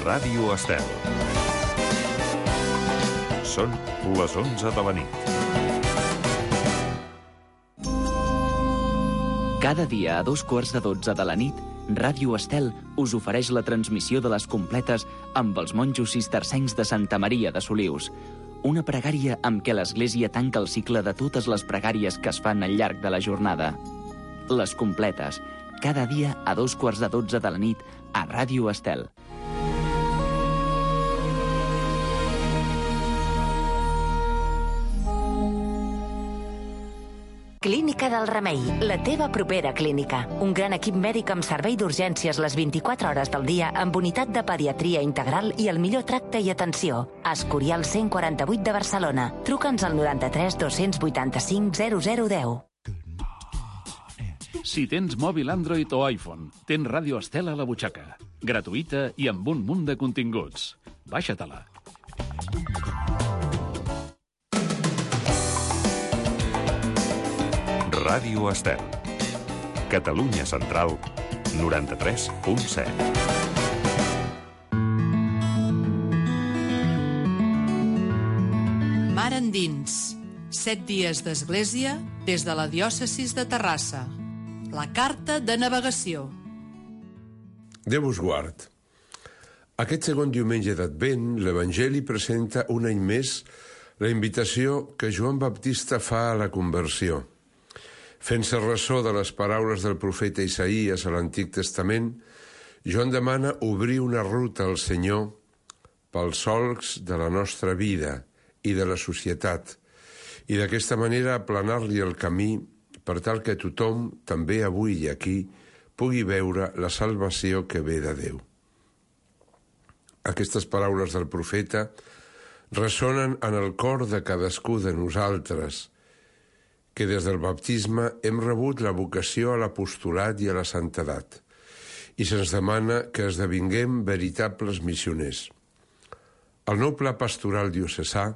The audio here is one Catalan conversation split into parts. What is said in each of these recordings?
Ràdio Estel. Són les 11 de la nit. Cada dia a 2:15 de la nit, Ràdio Estel us ofereix la transmissió de les completes amb els monjos cistercencs de Santa Maria de Solius. Una pregària amb què l'Església tanca el cicle de totes les pregàries que es fan al llarg de la jornada. Les completes, cada dia a 2:15 de la nit a Ràdio Estel. Clínica del Remei, la teva propera clínica. Un gran equip mèdic amb servei d'urgències les 24 hores del dia amb unitat de pediatria integral i el millor tracte i atenció. Escorial 148 de Barcelona. Truca'ns al 93 285 0010. Si tens mòbil Android o iPhone, tens Ràdio Estel a la butxaca. Gratuïta i amb un munt de continguts. Baixa-te-la. Ràdio Estel. Catalunya Central, 93.7. Mar endins. 7 dies d'església des de la diòcesis de Terrassa. La carta de navegació. Déu us guard. Aquest segon diumenge d'Advent, l'Evangeli presenta un any més la invitació que Joan Baptista fa a la conversió. Fent-se ressò de les paraules del profeta Isaïes a l'Antic Testament, Joan demana obrir una ruta al Senyor pels solcs de la nostra vida i de la societat, i d'aquesta manera aplanar-li el camí per tal que tothom, també avui i aquí, pugui veure la salvació que ve de Déu. Aquestes paraules del profeta ressonen en el cor de cadascú de nosaltres, que des del baptisme hem rebut la vocació a l'apostolat i a la santedat, i se'ns demana que esdevinguem veritables missioners. El nou pla pastoral diocesà,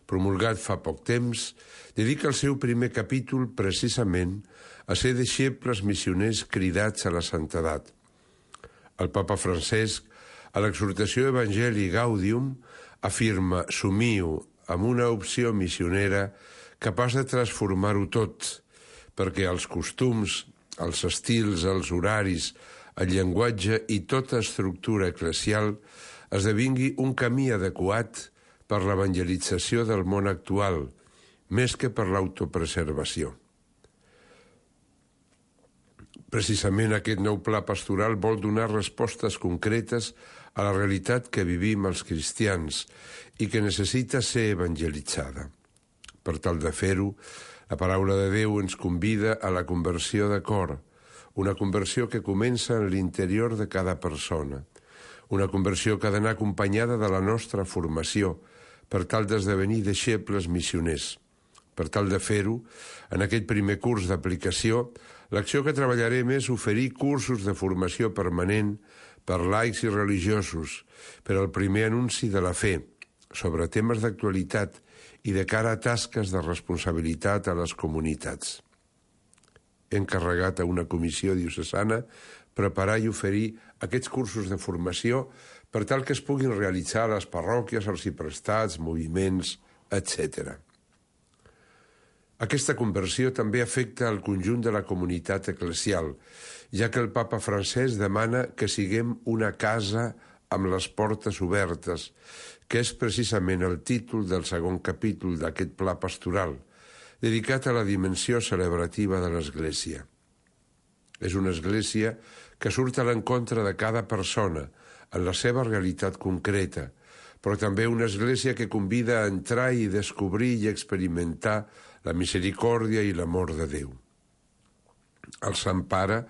promulgat fa poc temps, dedica el seu primer capítol precisament a ser deixebles missioners cridats a la santedat. El papa Francesc, a l'exhortació Evangelii Gaudium, afirma «Somiu amb una opció missionera capaç de transformar-ho tot, perquè els costums, els estils, els horaris, el llenguatge i tota estructura eclesial esdevingui un camí adequat per l'evangelització del món actual, més que per l'autopreservació». Precisament aquest nou pla pastoral vol donar respostes concretes a la realitat que vivim els cristians i que necessita ser evangelitzada. Per tal de fer-ho, la paraula de Déu ens convida a la conversió de cor, una conversió que comença en l'interior de cada persona, una conversió que ha d'anar acompanyada de la nostra formació, per tal d'esdevenir deixebles missioners. Per tal de fer-ho, en aquest primer curs d'aplicació, l'acció que treballarem és oferir cursos de formació permanent per laics i religiosos, per al primer anunci de la fe, sobre temes d'actualitat i de cara a tasques de responsabilitat a les comunitats. He encarregat a una comissió diocesana preparar i oferir aquests cursos de formació per tal que es puguin realitzar a les parròquies, arxiprestats, moviments, etc. Aquesta conversió també afecta el conjunt de la comunitat eclesial, ja que el papa Francesc demana que siguem una casa amb les portes obertes, que és precisament el títol del segon capítol d'aquest pla pastoral, dedicat a la dimensió celebrativa de l'Església. És una Església que surt a l'encontre de cada persona, en la seva realitat concreta, però també una Església que convida a entrar i descobrir i experimentar la misericòrdia i l'amor de Déu. El Sant Pare,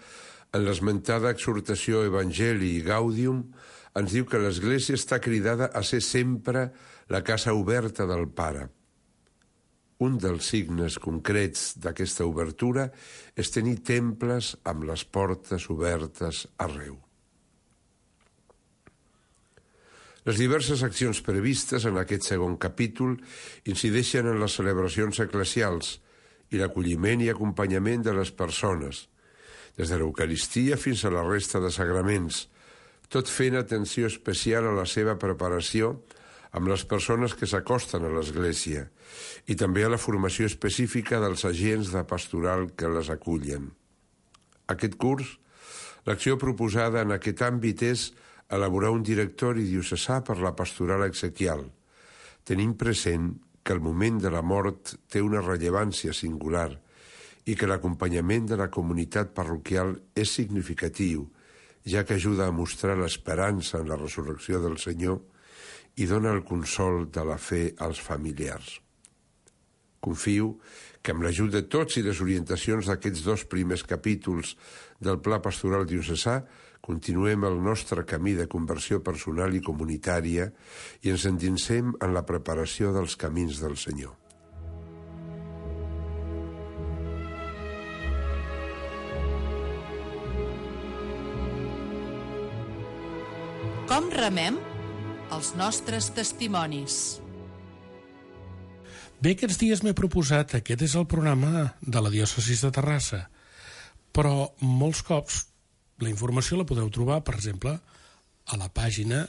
en l'esmentada exhortació Evangelii Gaudium, ens diu que l'Església està cridada a ser sempre la casa oberta del Pare. Un dels signes concrets d'aquesta obertura és tenir temples amb les portes obertes arreu. Les diverses accions previstes en aquest segon capítol incideixen en les celebracions eclesials i l'acolliment i acompanyament de les persones, des de l'Eucaristia fins a la resta de sagraments, tot fent atenció especial a la seva preparació amb les persones que s'acosten a l'Església i també a la formació específica dels agents de pastoral que les acullen. Aquest curs, l'acció proposada en aquest àmbit és elaborar un directori diocesà per la pastoral exequial, tenint present que el moment de la mort té una rellevància singular i que l'acompanyament de la comunitat parroquial és significatiu, ja que ajuda a mostrar l'esperança en la resurrecció del Senyor i dona el consol de la fe als familiars. Confio que amb l'ajut de tots i les orientacions d'aquests 2 primers capítols del Pla Pastoral Diocesà continuem el nostre camí de conversió personal i comunitària i ens endinsem en la preparació dels camins del Senyor. Com remem els nostres testimonis? Bé, aquests dies m'he proposat, aquest és el programa de la diòcesi de Terrassa, però molts cops la informació la podeu trobar, per exemple, a la pàgina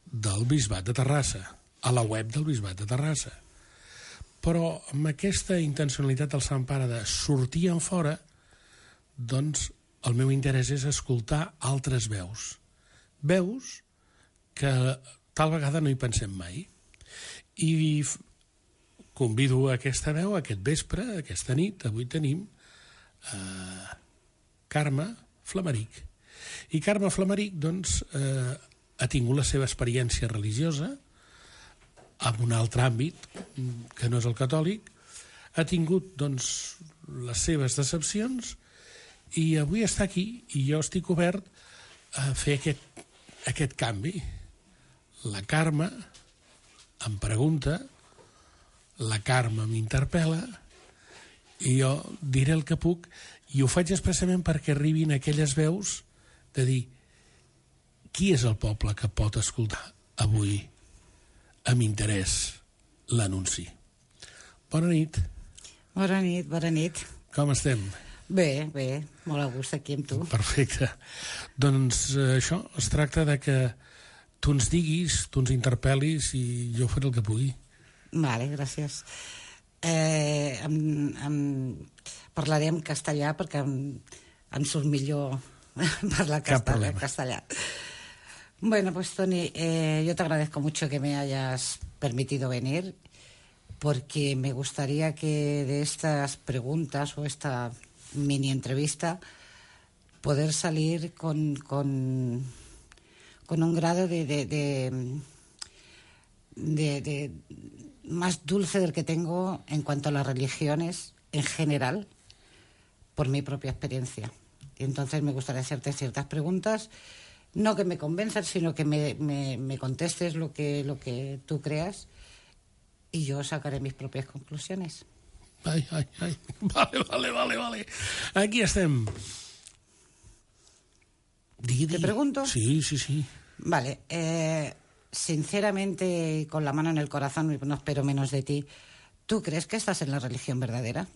del Bisbat de Terrassa, a la web del Bisbat de Terrassa. Però amb aquesta intencionalitat del Sant Pare de sortir en fora, doncs el meu interès és escoltar altres veus. Veus que tal vegada no hi pensem mai. I convido a aquesta veu aquest vespre, aquesta nit. Avui tenim Carme Flamaric. I Carme Flamaric, doncs, ha tingut la seva experiència religiosa en un altre àmbit, que no és el catòlic, ha tingut, doncs, les seves decepcions i avui està aquí i jo estic obert a fer aquest canvi. La Carme em pregunta, la Carme m'interpel·la i jo diré el que puc i ho faig expressament perquè arribin aquelles veus de dir qui és el poble que pot escoltar avui amb interès l'anunci. Bona nit. Bona nit, bona nit. Com estem? Bé, molt a gust aquí amb tu. Perfecte. Doncs això, es tracta de que tu ens diguis, tu ens interpel·lis i jo faré el que pugui. Vale, gràcies. Parlaré en castellà perquè em surt millor parlar castellà. Bueno, pues Toni, yo te agradezco mucho que me hayas permitido venir porque me gustaría que de estas preguntas o esta mini entrevista poder salir con un grado de más dulce del que tengo en cuanto a las religiones en general por mi propia experiencia. Y entonces me gustaría hacerte ciertas preguntas, no que me convenzan, sino que me contestes lo que tú creas y yo sacaré mis propias conclusiones. Ai. Vale. Aquí estem. ¿Te pregunto? Sí. Vale. Sinceramente y con la mano en el corazón, no espero menos de ti, ¿tú crees que estás en la religión verdadera?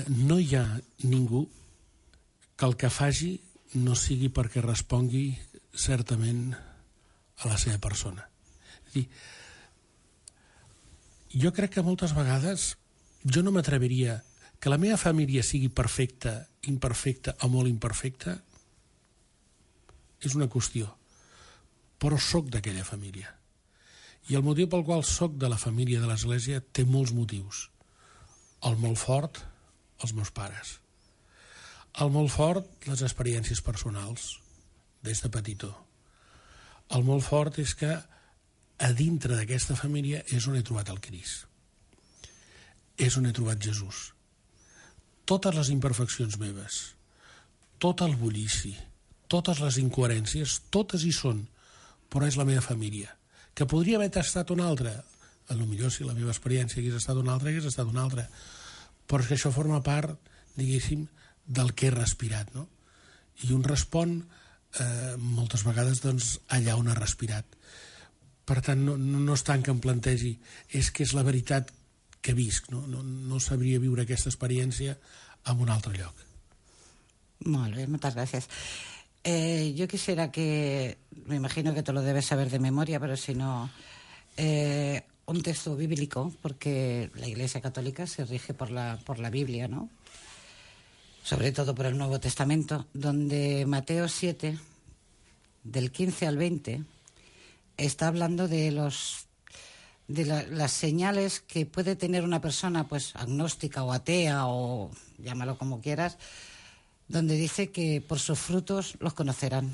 No hi ha ningú que el que faci no sigui perquè respongui certament a la seva persona. És dir, jo crec que moltes vegades jo no m'atreviria que la meva família sigui perfecta, imperfecta o molt imperfecta és una qüestió, però sóc d'aquella família. I el motiu pel qual sóc de la família de l'Església té molts motius. El molt fort, els meus pares. El molt fort, les experiències personals, des de petitó. El molt fort és que a dintre d'aquesta família és on he trobat el Crist. És on he trobat Jesús. Totes les imperfeccions meves, tot el bullici, totes les incoherències, totes hi són, però és la meva família. Que podria haver estat una altra, potser si la meva experiència hagués estat una altra, però és que això forma part, diguéssim, del que he respirat, no? I un respon moltes vegades doncs, allà on ha respirat. Per tant, no és tant que em plantegi, és que és la veritat que visc, no sabria viure aquesta experiència en un altre lloc. Muy bien, muchas gracias. Yo quisiera que, me imagino que tú lo debes saber de memoria, pero si no, un texto bíblico, porque la Iglesia Católica se rige por la Biblia, ¿no? Sobre todo por el Nuevo Testamento, donde Mateo 7, del 15 al 20, está hablando de las señales que puede tener una persona, pues agnóstica o atea, o llámalo como quieras, donde dice que por sus frutos los conocerán.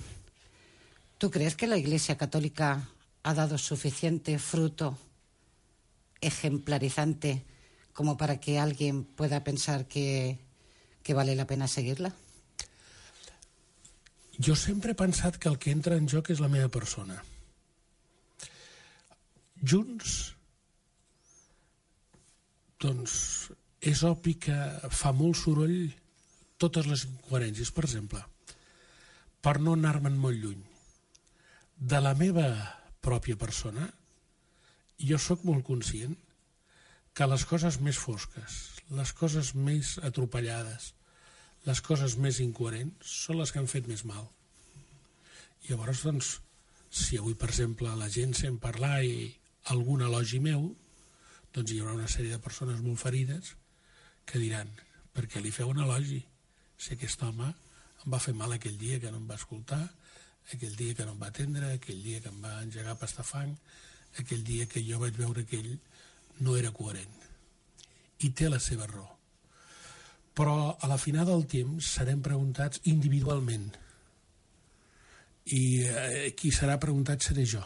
¿Tú crees que la Iglesia Católica ha dado suficiente fruto ejemplarizante como para que alguien pueda pensar que vale la pena seguir-la? Jo sempre he pensat que el que entra en joc és la meva persona. Junts, doncs, és obvi que fa molt soroll totes les incoherències. Per exemple, per no anar-me'n molt lluny, de la meva pròpia persona, jo sóc molt conscient que les coses més fosques, les coses més atropellades, les coses més incoherents són les que han fet més mal. Llavors, doncs, si avui, per exemple, la gent sent parlar i algun elogi meu, doncs hi haurà una sèrie de persones molt ferides que diran, per què li feu un elogi? Si aquest home em va fer mal aquell dia que no em va escoltar, aquell dia que no em va atendre, aquell dia que em va engegar a pastar fang, aquell dia que jo vaig veure que ell no era coherent. I té la seva raó. Però a la final del temps serem preguntats individualment. I qui serà preguntat seré jo.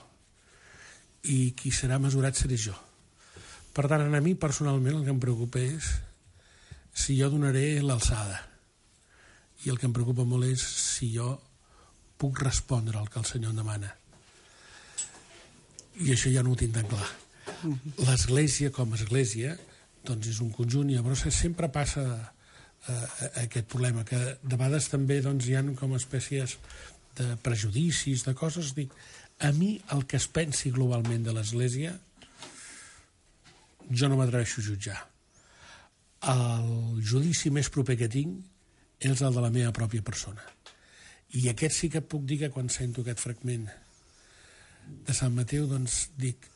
I qui serà mesurat seré jo. Per tant, a mi personalment el que em preocupa és si jo donaré l'alçada. I el que em preocupa molt és si jo puc respondre al que el Senyor em demana. I això ja no ho tinc tan clar. L'Església, com a Església, doncs és un conjunt, i llavors sempre passa aquest problema, que de vegades també doncs, hi ha com espècies de prejudicis, de coses. Dic, a mi el que es pensi globalment de l'Església, jo no m'atreveixo a jutjar. El judici més proper que tinc és el de la meva pròpia persona. I aquest sí que puc dir que quan sento aquest fragment de Sant Mateu, doncs dic,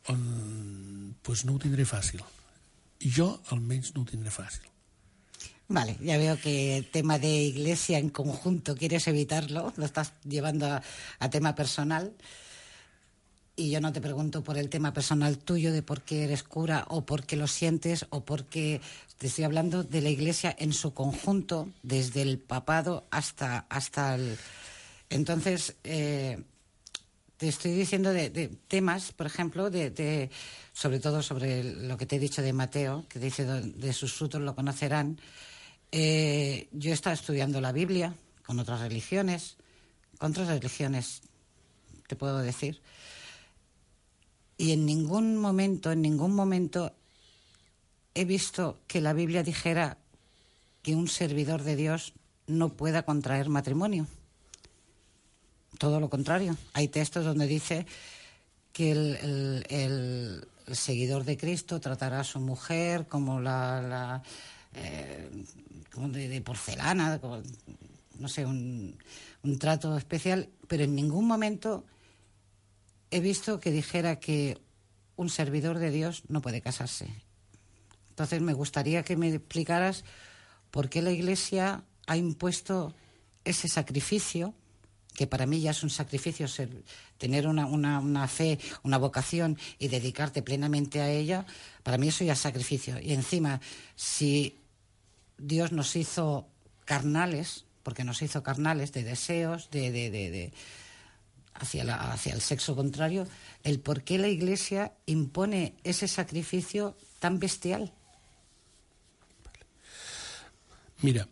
pues no ho tindré fàcil. Jo almenys no ho tindré fàcil. Vale, ya veo que el tema de iglesia en conjunto quieres evitarlo, lo estás llevando a tema personal. Y yo no te pregunto por el tema personal tuyo de por qué eres cura o por qué lo sientes o por qué... Te estoy hablando de la Iglesia en su conjunto, desde el papado hasta el... Entonces, te estoy diciendo de temas, por ejemplo, sobre todo sobre lo que te he dicho de Mateo, que dice de sus frutos lo conocerán. Yo he estado estudiando la Biblia con otras religiones, te puedo decir. Y en ningún momento he visto que la Biblia dijera que un servidor de Dios no pueda contraer matrimonio. Todo lo contrario. Hay textos donde dice que el seguidor de Cristo tratará a su mujer como como de porcelana, como, no sé, un trato especial, pero en ningún momento he visto que dijera que un servidor de Dios no puede casarse. Entonces me gustaría que me explicaras por qué la Iglesia ha impuesto ese sacrificio, que para mí ya es un sacrificio, tener una fe, una vocación y dedicarte plenamente a ella, para mí eso ya es sacrificio. Y encima, si Dios nos hizo carnales, porque nos hizo carnales de deseos, hacia el sexo contrario, el por qué la Iglesia impone ese sacrificio tan bestial. Mira,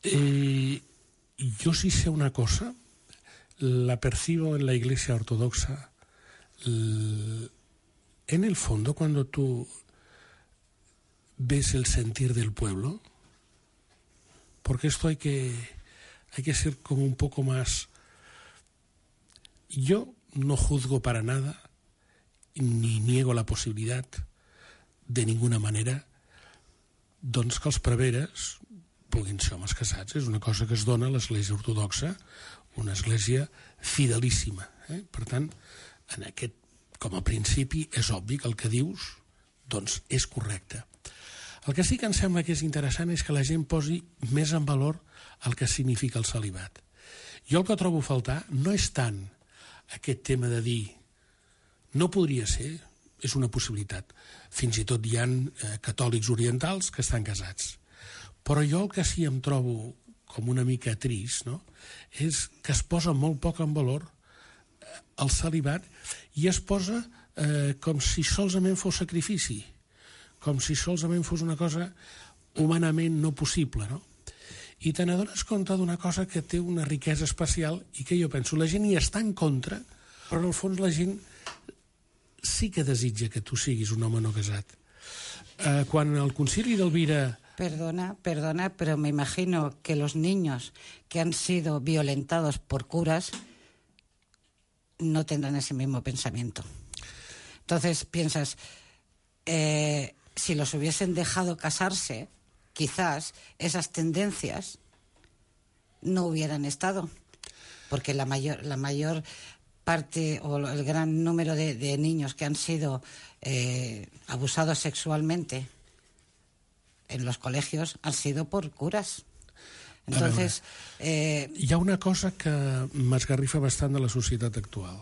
yo sí sé una cosa, la percibo en la Iglesia ortodoxa. En el fondo, cuando tú ves el sentir del pueblo, porque esto hay que ser como un poco más... Yo no juzgo para nada, ni niego la possibilitat, de ninguna manera, doncs que els preveres puguin ser homes casats. És una cosa que es dona a l'Església Ortodoxa, una església fidelíssima. Per tant, com a principi, és obvi que el que dius doncs, és correcte. El que sí que em sembla que és interessant és que la gent posi més en valor el que significa el celibat. Jo el que trobo a faltar no és tant aquest tema de dir no podria ser, és una possibilitat. Fins i tot hi ha catòlics orientals que estan casats. Però jo el que sí em trobo com una mica trist, no?, és que es posa molt poc en valor el celibat i es posa com si solament fos sacrifici, com si solament fos una cosa humanament no possible, no? I te n'adones compte d'una cosa que té una riquesa especial i que jo penso, la gent hi està en contra, però en el fons la gent sí que desitja que tu siguis un home no casat. Quan el concili d'Elvira... Perdona, pero me imagino que los niños que han sido violentados por curas no tendrán ese mismo pensamiento. Entonces piensas, si los hubiesen dejado casarse, quizás esas tendencias no hubieran estado, porque la mayor parte o el gran número de niños que han sido abusados sexualmente en los colegios han sido por curas. Entonces, hi ha una cosa que m'esgarrifa bastant de la societat actual.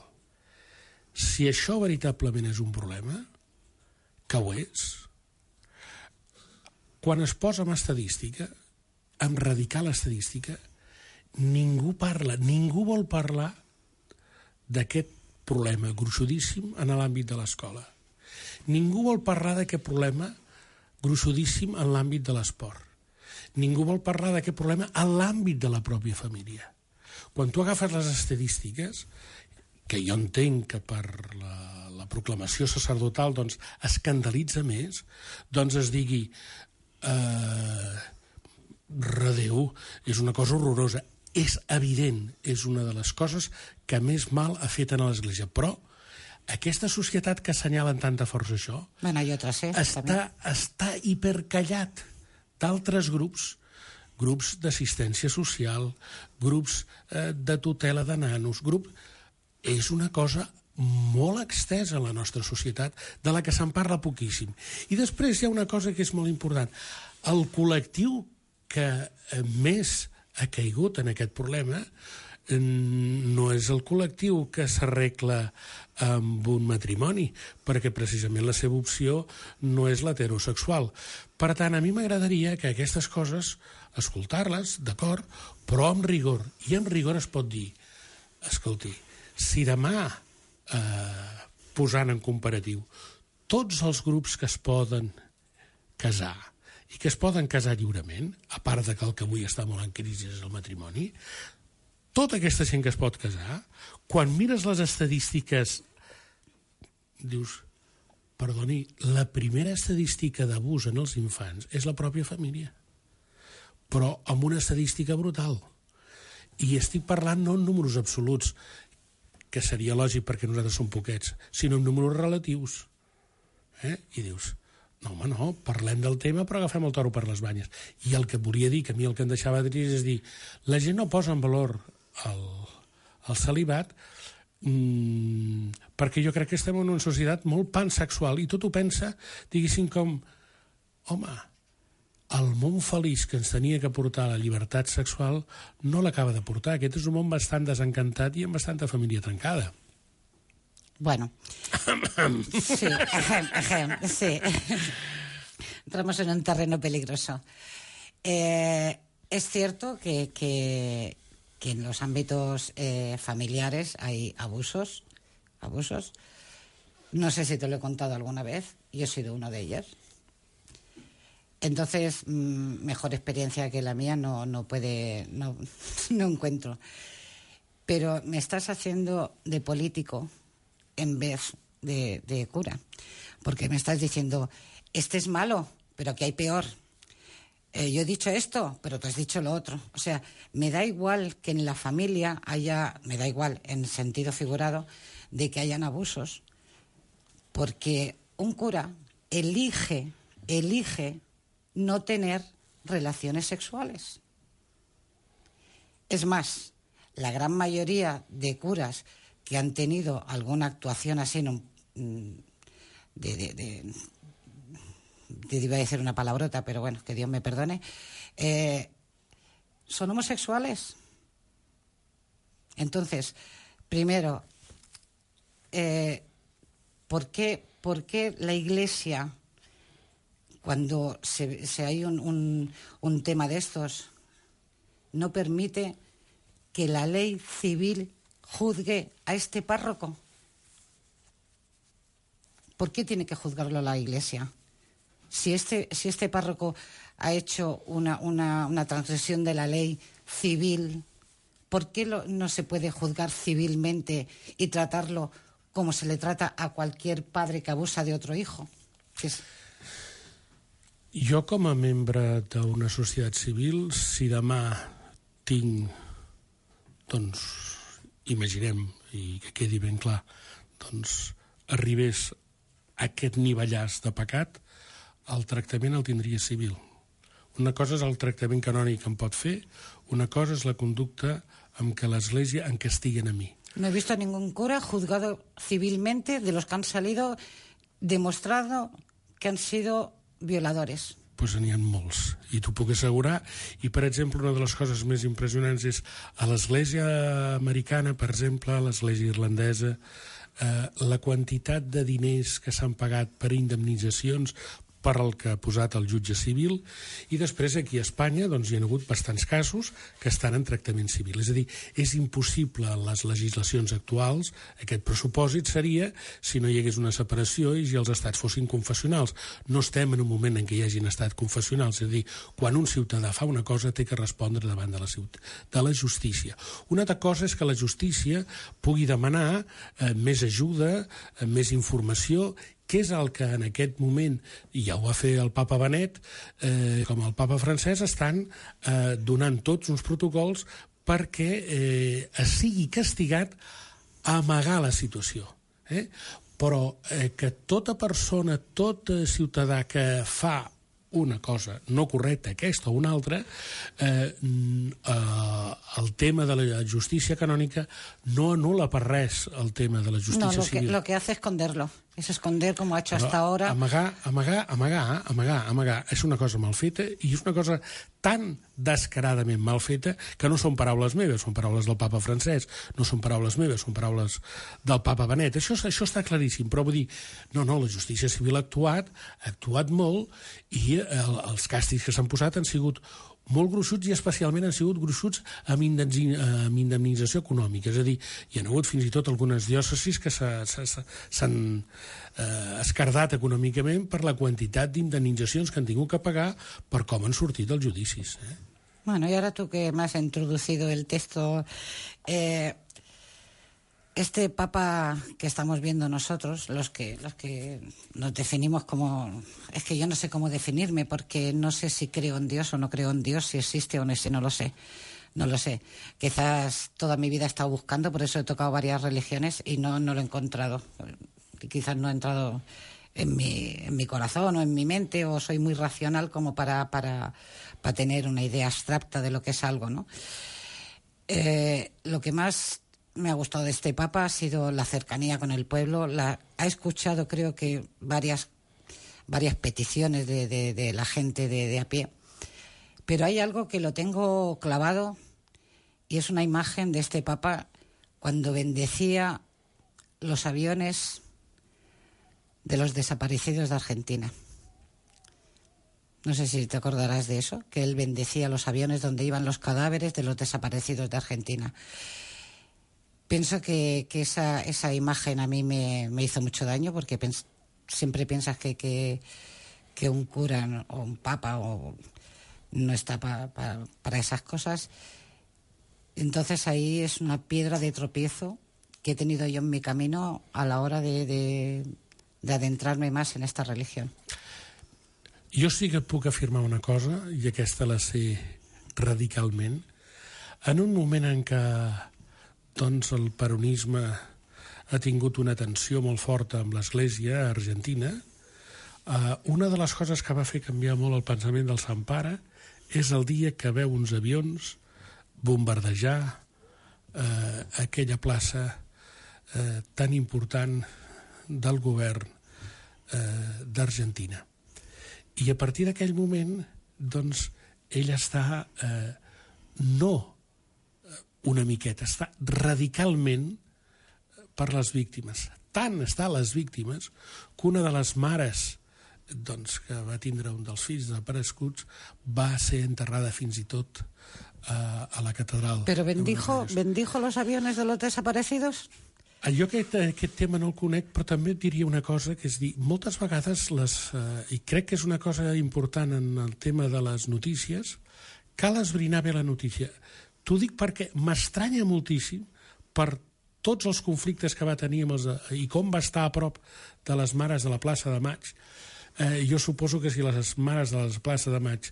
Si això veritablement és un problema, que ho és, quan es posa en estadística, en radical estadística, ningú vol parlar d'aquest problema gruixudíssim en l'àmbit de l'escola. Ningú vol parlar d'aquest problema gruixudíssim en l'àmbit de l'esport. Ningú vol parlar d'aquest problema en l'àmbit de la pròpia família. Quan tu agafes les estadístiques, que jo entenc que per la proclamació sacerdotal doncs, escandalitza més, doncs es digui redeu, és una cosa horrorosa. És evident, és una de les coses que més mal ha fet a l'Església, però aquesta societat que assenyala amb tanta força això està hipercallat d'altres grups d'assistència social, grups de tutela de nanos, és una cosa molt extensa a la nostra societat, de la que se'n parla poquíssim. I després hi ha una cosa que és molt important. El col·lectiu que més ha caigut en aquest problema no és el col·lectiu que s'arregla amb un matrimoni, perquè precisament la seva opció no és l'heterosexual. Per tant, a mi m'agradaria que aquestes coses, escoltar-les, d'acord, però amb rigor. I amb rigor es pot dir, escolti, si demà, posant en comparatiu, tots els grups que es poden casar i que es poden casar lliurement, a part de que el que avui està molt en crisi és el matrimoni, tota aquesta gent que es pot casar, quan mires les estadístiques, dius, perdoni, la primera estadística d'abús en els infants és la pròpia família, però amb una estadística brutal. I estic parlant no en números absoluts, que seria lògic perquè nosaltres som poquets, sinó en números relatius. I dius, no, home, no, parlem del tema però agafem el toro per les banyes. I el que volia dir, que a mi el que em deixava trist és dir, la gent no posa en valor el celibat perquè jo crec que estem en una societat molt pansexual i tot ho pensa, diguéssim, com home, el món feliç que ens tenia que portar la llibertat sexual no l'acaba de portar. Aquest és un món bastant desencantat i amb bastanta família trencada. Bueno, sí, sí. Entramos en un terreno peligroso. Es cierto que en los ámbitos familiares hay abusos. No sé si te lo he contado alguna vez, yo he sido uno de ellos. Entonces, mejor experiencia que la mía no encuentro. Pero me estás haciendo de político en vez de cura, porque me estás diciendo, este es malo, pero que hay peor. Yo he dicho esto, pero tú has dicho lo otro. O sea, me da igual que en la familia haya, me da igual en sentido figurado, de que hayan abusos, porque un cura elige no tener relaciones sexuales. Es más, la gran mayoría de curas que han tenido alguna actuación así, iba a decir una palabrota, pero bueno, que Dios me perdone, son homosexuales. Entonces, primero, ¿por qué la Iglesia, cuando se hay un tema de estos, no permite que la ley civil juzgue a este párroco? ¿Por qué tiene que juzgarlo la Iglesia? Si este párroco ha hecho una transgresión de la ley civil, ¿por qué no se puede juzgar civilmente y tratarlo como se le trata a cualquier padre que abusa de otro hijo? Jo, com a membre d'una societat civil, si demà tinc, doncs, imaginem, i que quedi ben clar, doncs, arribés a aquest nivellàs de pecat, el tractament el tindria civil. Una cosa és el tractament canònic que em pot fer, una cosa és la conducta amb què l'Església em castiguen a mi. No he visto a ningún cura juzgado civilmente de los que han salido demostrado que han sido violadores. Pues n'hi ha molts, i t'ho puc assegurar. I, per exemple, una de les coses més impressionants és a l'Església americana, per exemple, a l'Església irlandesa, la quantitat de diners que s'han pagat per indemnitzacions per el que ha posat el jutge civil, i després aquí a Espanya doncs, hi ha hagut bastants casos que estan en tractament civil. És a dir, és impossible en les legislacions actuals, aquest pressupòsit seria si no hi hagués una separació i si els estats fossin confessionals. No estem en un moment en què hi hagin estat confessionals, és a dir, quan un ciutadà fa una cosa té que respondre davant de la justícia. Una altra cosa és que la justícia pugui demanar més ajuda, més informació, que és el que en aquest moment, i ja ho va fer el papa Benet, com el papa francès, estan donant tots uns protocols perquè es sigui castigat a amagar la situació. Però que tota persona, tot ciutadà que fa una cosa no correcta, aquesta o una altra, el tema de la justícia canònica no anul·la per res el tema de la justícia civil. Lo que hace es esconderlo. Es esconder como ha hecho hasta ahora. Amagar és una cosa mal feta i és una cosa tan descaradament mal feta que no són paraules meves, són paraules del papa francès, no són paraules meves, són paraules del papa Benet. Això està claríssim, però vull dir, no, la justícia civil ha actuat molt, i els càstigs que s'han posat han sigut molt gruixuts, i especialment han sigut gruixuts amb indemnització econòmica. És a dir, hi ha hagut fins i tot algunes diòcesis que s'han escardat econòmicament per la quantitat d'indemnitzacions que han tingut que pagar per com han sortit els judicis. Bueno, y ahora tú que me has introducido el texto, este papa que estamos viendo nosotros, los que nos definimos como... Es que yo no sé cómo definirme, porque no sé si creo en Dios o no creo en Dios, si existe o no existe, no lo sé. No lo sé. Quizás toda mi vida he estado buscando, por eso he tocado varias religiones y no lo he encontrado. Quizás no ha entrado en mi corazón o en mi mente, o soy muy racional como para tener una idea abstracta de lo que es algo, ¿no? Lo que más me ha gustado de este papa ha sido la cercanía con el pueblo. Ha escuchado, creo que, varias peticiones de la gente de a pie. Pero hay algo que lo tengo clavado, y es una imagen de este papa cuando bendecía los aviones de los desaparecidos de Argentina. No sé si te acordarás de eso, que él bendecía los aviones donde iban los cadáveres de los desaparecidos de Argentina. Pienso que esa imagen a mí me hizo mucho daño, porque siempre piensas que un cura o un papa no está para esas cosas. Entonces ahí es una piedra de tropiezo que he tenido yo en mi camino a la hora de adentrarme más en esta religión. Jo sí que puc afirmar una cosa, i aquesta la sé radicalment. En un moment en què doncs, el peronisme ha tingut una tensió molt forta amb l'Església argentina, una de les coses que va fer canviar molt el pensament del Sant Pare és el dia que veu uns avions bombardejar aquella plaça tan important del govern d'Argentina. I a partir d'aquell moment, doncs, ell està no una miqueta, està radicalment per les víctimes. Tant està les víctimes que una de les mares doncs, que va tindre un dels fills desapareguts va ser enterrada fins i tot a la catedral. ¿Pero bendijo los aviones de los desaparecidos? Jo aquest tema no el conec, però també et diria una cosa, que és dir, moltes vegades, i crec que és una cosa important en el tema de les notícies, cal esbrinar bé la notícia. T'ho dic perquè m'estranya moltíssim per tots els conflictes que va tenir i com va estar a prop de les mares de la plaça de Maig. Jo suposo que si les mares de la plaça de Maig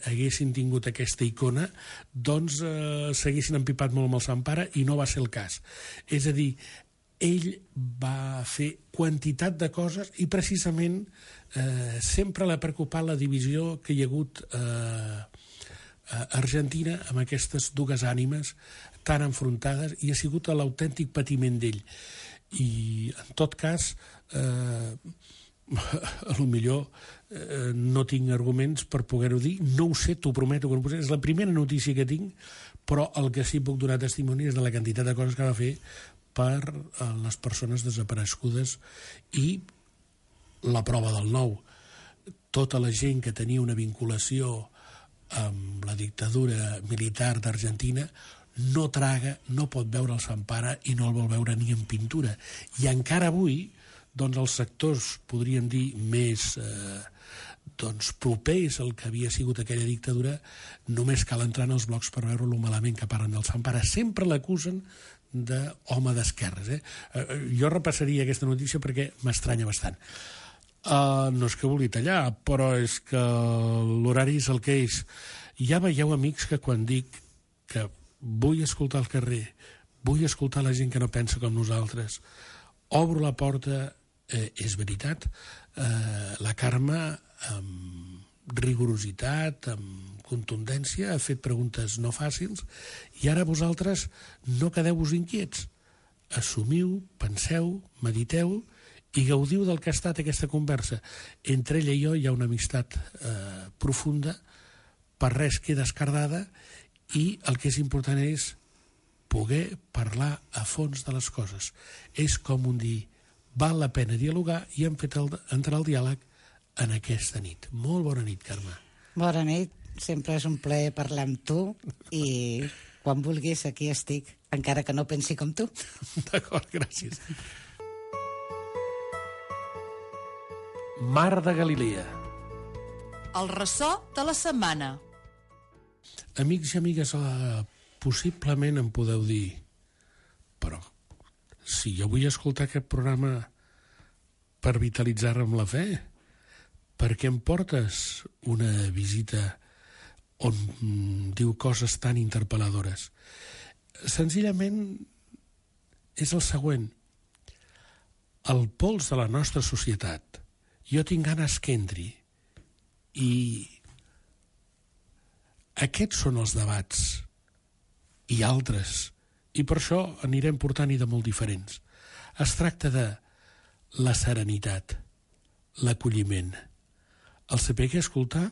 haguessin tingut aquesta icona, doncs s'haguessin empipat molt amb el Sant Pare, i no va ser el cas. És a dir, ell va fer quantitat de coses i precisament sempre l'ha preocupat la divisió que hi ha hagut a Argentina amb aquestes dues ànimes tan enfrontades, i ha sigut l'autèntic patiment d'ell. I en tot cas a lo millor no tinc arguments per poder-ho dir, no ho sé, t'ho prometo que no ho sé, és la primera notícia que tinc, però el que sí puc donar testimoni és de la quantitat de coses que va fer per les persones desaparegudes. I la prova del nou, tota la gent que tenia una vinculació amb la dictadura militar d'Argentina no traga, no pot veure el Sant Pare i no el vol veure ni en pintura. I encara avui, doncs els sectors, podríem dir, més propers al que havia sigut aquella dictadura, només cal entrar en els blocs per veure lo malament que parlen del Sant Pare. Sempre l'acusen d'home d'esquerres. Jo repassaria aquesta notícia perquè m'estranya bastant. No és que vulgui tallar, però és que l'horari és el que és. Ja veieu, amics, que quan dic que vull escoltar el carrer, vull escoltar la gent que no pensa com nosaltres, obro la porta, és veritat. La Carme, amb rigorositat, amb contundència, ha fet preguntes no fàcils, i ara vosaltres no quedeu-vos inquiets. Assumiu, penseu, mediteu i gaudiu del que ha estat aquesta conversa. Entre ella i jo hi ha una amistat profunda, per res queda escardada, i el que és important és poder parlar a fons de les coses. És com un dir, val la pena dialogar, i hem fet entrar el diàleg en aquesta nit. Molt bona nit, Carme. Bona nit, sempre és un plaer parlar amb tu, i quan vulguis aquí estic, encara que no pensi com tu. D'acord, gràcies. Mar de Galilea. El ressò de la setmana. Amics i amigues, possiblement em podeu dir, però si jo vull escoltar aquest programa per vitalitzar-me amb la fe, per què em portes una visita on diu coses tan interpel·ladores? Senzillament és el següent. El pols de la nostra societat, jo tinc ganes que entri, i aquests són els debats, i altres, i per això anirem portant-hi de molt diferents. Es tracta de la serenitat, l'acolliment, el saber què escoltar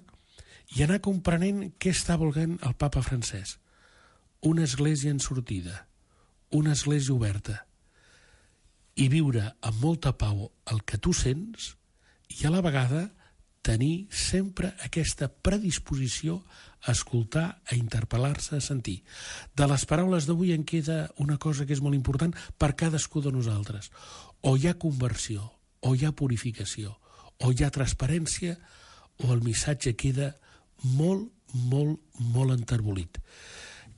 i anar comprenent què està volent el papa francès. Una església en sortida, una església oberta, i viure amb molta pau el que tu sents, i a la vegada tenir sempre aquesta predisposició a escoltar, a interpel·lar-se, a sentir. De les paraules d'avui en queda una cosa que és molt important per cadascú de nosaltres. O hi ha conversió, o hi ha purificació, o hi ha transparència, o el missatge queda molt, molt, molt enterbolit.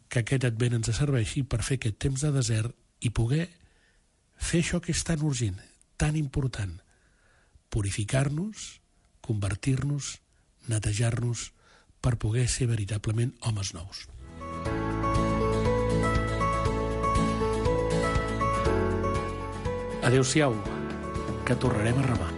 Que aquest advent ens serveixi per fer aquest temps de desert i poder fer això que és tan urgent, tan important, purificar-nos, convertir-nos, netejar-nos, per poder ser veritablement homes nous. Adéu-siau, que tornarem a remar.